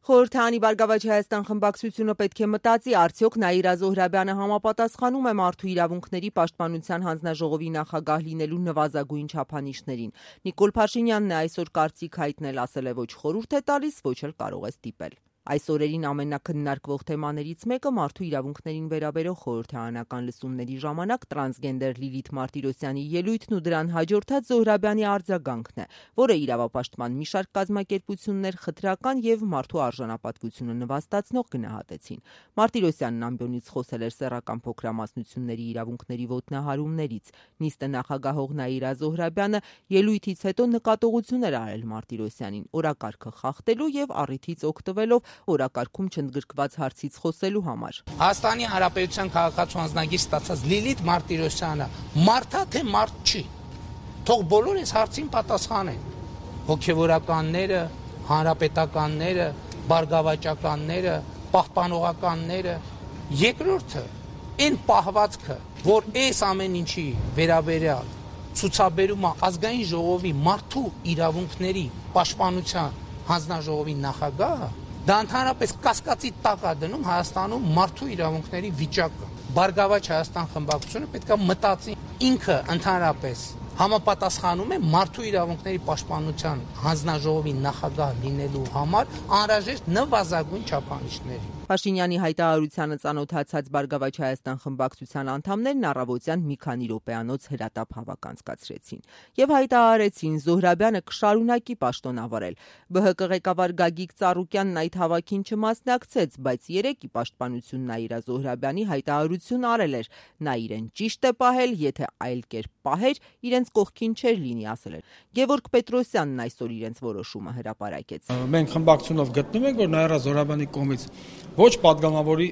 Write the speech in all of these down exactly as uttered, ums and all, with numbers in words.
Խորհրդարանի Բարգավաճ Հայաստան խմբակցությունը պետք է մտածի, արդյոք Նաիրա Զոհրաբյանը համապատասխանում է մարդու իրավունքների պաշտպանության հանձնաժողովի նախագահ լինելու նվազագույն չափանիշներին։ Նիկոլ Փաշինյանն է այսօր կարծիք հայտնել, ասել է ոչ խորհուրդ է տալիս, ոչ էլ կարող է ստիպել։ Այս օրերին ամենաքննարկվող թեմաներից մեկը մարդու իրավունքներին վերաբերող խորհրդարանական լսումների ժամանակ տրանսգենդեր Լիլիթ Մարտիրոսյանի ելույթն ու դրան հաջորդած Զոհրաբյանի արձագանքն է, որը իրավապաշտպան մի շարք կազմակերպություններ խտրական եւ մարդու արժանապատվությունը նվաստացնող գնահատեցին։ Մարտիրոսյանն ամբիոնից խոսել էր սեռական փոքրամասնությունների իրավունքների ոտնահարումներից։ Նիստը նախագահող Նաիրա Զոհրաբյանը ելույթից հետո նկատողություն էր արել Մարտիրոսյանին օրակարգը խախտելու եւ առիթից օգտվելով օրակարգում չընդգրկված հարցից խոսելու համար։ Հայաստանի Հանրապետության քաղաքացու անձնագիր ստացած Լիլիթ Մարտիրոսյանը մարդա թե մարդ չի։ Թող բոլոր այս հարցին պատասխանեն։ Հոգևորականները, հանրապետականները, բարգավաճականները, պահպանողականները, երկրորդը այն պահվածքը, որ այս ամեն ինչի վերաբերյալ ցուցաբերում է ազգային ժողովի մարդու իրավունքների պաշտպանության հանձնաժողովի նախագահը, դա ընդհանրապես կասկածի տակ է դնում Հայաստանում մարդու իրավունքների վիճակը։ Բարգավաճ Հայաստան խմբակցությունը պետք է մտածի ինքը ընդհանրապես համապատասխանում է մարդու իրավունքների պաշտպանության հանձնաժողովի նախագահ լինելու համար անհրաժեշտ նվազագույն չափանիշների։ Փաշինյանի հայտարարությանը ծանոթացած Բարգավաճ Հայաստան խմբակցության անդամներն առավոտյան մի քանի րոպեանոց հրատապ հավաք անցկացրեցին եւ հայտարարեցին Զոհրաբյանը կշարունակի պաշտոնավարել։ Բ Հ Կ ղեկավար Գագիկ Ծառուկյանն այդ հավաքին չմասնակցեց, բայց երեկ ի պաշտպանություն Նաիրա Զոհրաբյանի հայտարարություն արել էր։ Նա իրեն ճիշտ է պահել, եթե այլ կերպ պահեր, իրենց կողքին չէր լինի, ասել էր։ Գևորգ Պետրոսյանն այսօր իրենց որոշումը հրապարակեց։ Մենք խմբակցությունով գտնում ենք, որ Նաիրա Զոհրաբյանի կողմից ոչ պատգամավորի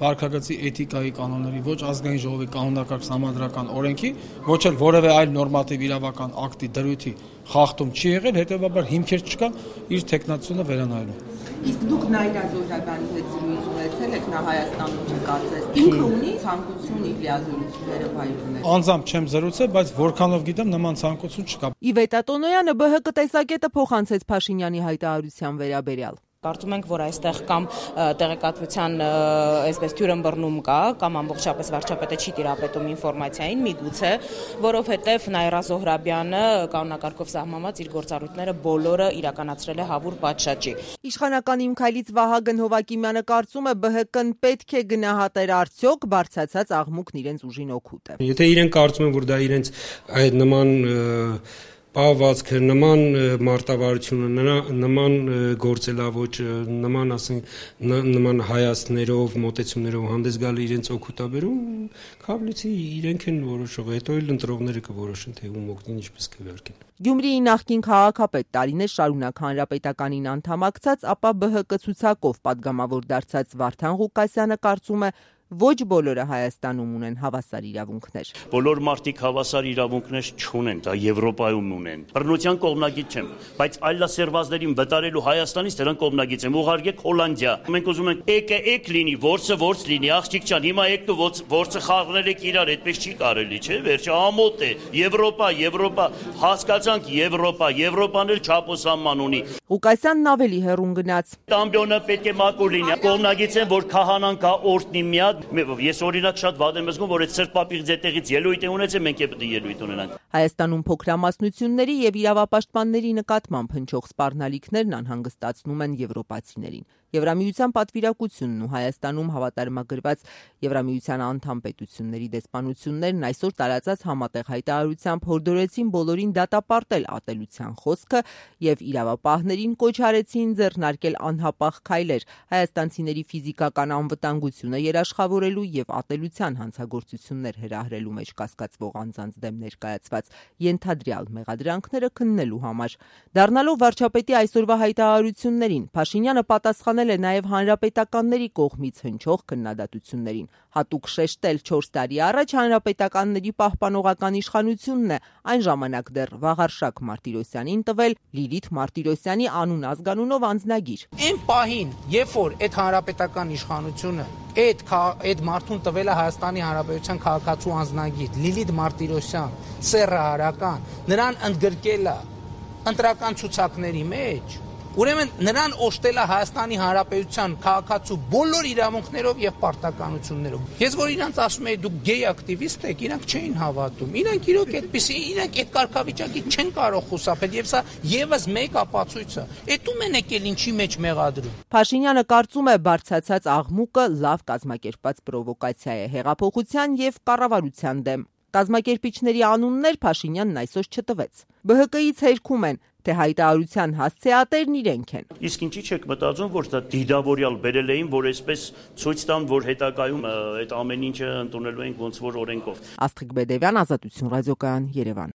վարքագծի էթիկայի կանոնների, ոչ ազգային ժողովի կանոնակարգ համադրական օրենքի, ոչ էլ որևէ այլ նորմատիվ իրավական ակտի դրույթի խախտում չի եղել, հետևաբար հիմքեր չկա իր թեկնածությունը վերանայելու։ Իսկ դուք Նաիրա Զոհրաբյանի հետ զրույց ունեցել եք, նա Հայաստանում չկարծես։ Ինքը ունի ցանկություն իր լիազորությունները վայելել։ Անձամբ չեմ զրուցել, բայց որքանով գիտեմ, նման ցանկություն չկա։ Իվետա Տոնոյանը Բ Հ Կ տեսակետը փոխանցեց Փաշինյանի հայտարարության վերաբերյալ։ Կարծում ենք, որ այստեղ կամ տեղեկատվության այսպես թյուրըմբռնում կա, կամ ամբողջապես վարչապետը չի տիրապետում ինֆորմացիային, միգուցե, որովհետև Նաիրա Զոհրաբյանը կանոնակարգով սահմանված իր գործառույթները բոլորը իրականացրել է հավուր պատշաճի։ Իշխանական Իմ քայլից Վահագն Հովակիմյանը կարծում է Բ Հ Կ-ն պետք է գնահատեր արդյոք բարձրացած աղմուկն իրենց ուժին օգուտ է։ Եթե իրենք կարծում են, որ դա իրենց այդ նման պահվածքը, նման մարտավարությունը, նման գործելավոճը, նման ասենք նման հայացքներով, մոտեցումներով հանդես գալը իրենց օգուտաբերում, քավլիցի իրենք են որոշող, հետո էլ ընտրողները կորոշեն, թե ում օգնին, ինչպես կվարկեն։ Գյումրիի նախկին քաղաքապետ տարիներ շարունակ հանրապետականին անդամակցած, ապա Բ Հ Կ ցուցակով պատգամավոր դարձած Վարդան Ղուկասյանը կարծում է, ոչ բոլորը Հայաստանում ունեն հավասար իրավունքներ։ Բոլոր մարդիկ հավասար իրավունքներ չունեն, դա Եվրոպայում ունեն։ Բռնության կողմնագիծ չեմ, բայց այլասերվածներին վտարելու Հայաստանից դրան կողմնագիծ եմ, ուղարկեք Հոլանդիա։ Մենք ուզում ենք եկե եկ լինի, որսը որս լինի, աղջիկ ջան, հիմա եկք դու որսը խաղնել եք իրար, այդպես չի կարելի, չէ՞, վերջը ամոթ է։ Եվրոպա, Եվրոպա, հասկացանք Եվրոպա, Եվրոպան էլ չափոսանման ունի։ Ղուկասյանն ավելի հեռուն գնաց։ Ամբիոնը պետք է մաքուր լինի։ Կողմնագիծ եմ, որ քահանան կա օրտնի միակ։ Ես օրինակ շատ վատ եմ զգում, որ այդ սրտպապիղ ձետեղից ելույթ է ունեցել, մենք պետք է ելույթ ունենանք։ Հայաստանում փոքրամասնությունների եւ իրավապաշտպանների նկատմամբ հնչող սպառնալիքներն անհանգստացնում են եվրոպացիներին։ Եվրամիության պատվիրակությունն ու Հայաստանում հավատարմագրված Եվրամիության անդամ պետությունների դեսպանություններն այսօր տարածած համատեղ հայտարարությամբ հորդորեցին բոլորին դատապարտել ատելության խոսքը եւ իրավապահներին կոչ արեցին ձեռնարկել անհապաղ քայլեր հայաստանցիների ֆիզիկական անվտանգությունը երաշխավորելու եւ ատելության հանցագործություններ հրահրելու մեջ կասկածվող անձանց դեմ ներկայացված ենթադրյալ մեղադրանքները քննելու համար։ Դառնալով վարչապետի այսօրվա հայտարարություններին, Փաշինյանը պատասխանել է նաև հանրապետականների կողմից հնչող քննադատություններին։ Հատուկ շեշտել չորս տարի առաջ հանրապետականների պահպանողական իշխանությունն է այն ժամանակ դեռ Վաղարշակ Մարտիրոսյանին տվել Լիլիթ Մարտիրոսյանի անուն ազգանունով անձնագիր։ Այն պահին, երբ որ այդ հանրապետական իշխանությունը այդ այդ մարդուն տվել է Հայաստանի Հանրապետության քաղաքացու անձնագիր Լիլիթ Մարտիրոսյան, սեռը հարական, նրան ընդգրկել է ընտրական ցուցակների մեջ, Ուրեմն նրան օժտել է Հայաստանի Հանրապետության քաղաքացու բոլոր իրավունքներով եւ պարտականություններով։ Ես որ իրանց ասում եի դուք գեյ ակտիվիստ եք, իրանք չէին հավատում։ Իրանք իրոք այդպեսի, իրանք այդ կարգավիճակի չեն կարող խուսափել եւ սա եւս մեկ ապացույց է։ Էդում են եկել ինչի մեջ մեղադրում։ Փաշինյանը կարծում է բարձրացած աղմուկը լավ կազմակերպված պրովոկացիա է հեղափոխության եւ կառավարության դեմ։ Կազմակերպիչների անուններ Փաշինյանն այսօր չտվեց։ Բը հը կից հերքում են, թե հայտարարության հասցեատերն իրենք են։ Իսկ ինչի՞ չեք մտածում, որ դա դիդավորյալ բերել էին, որ այսպես ցույց տան, որ հետագայում այդ ամեն ինչը ընդունելու են ոնց որ օրենքով։ Աստղիկ Բեդևյան, Ազատություն ռադիոկայան, Երևան։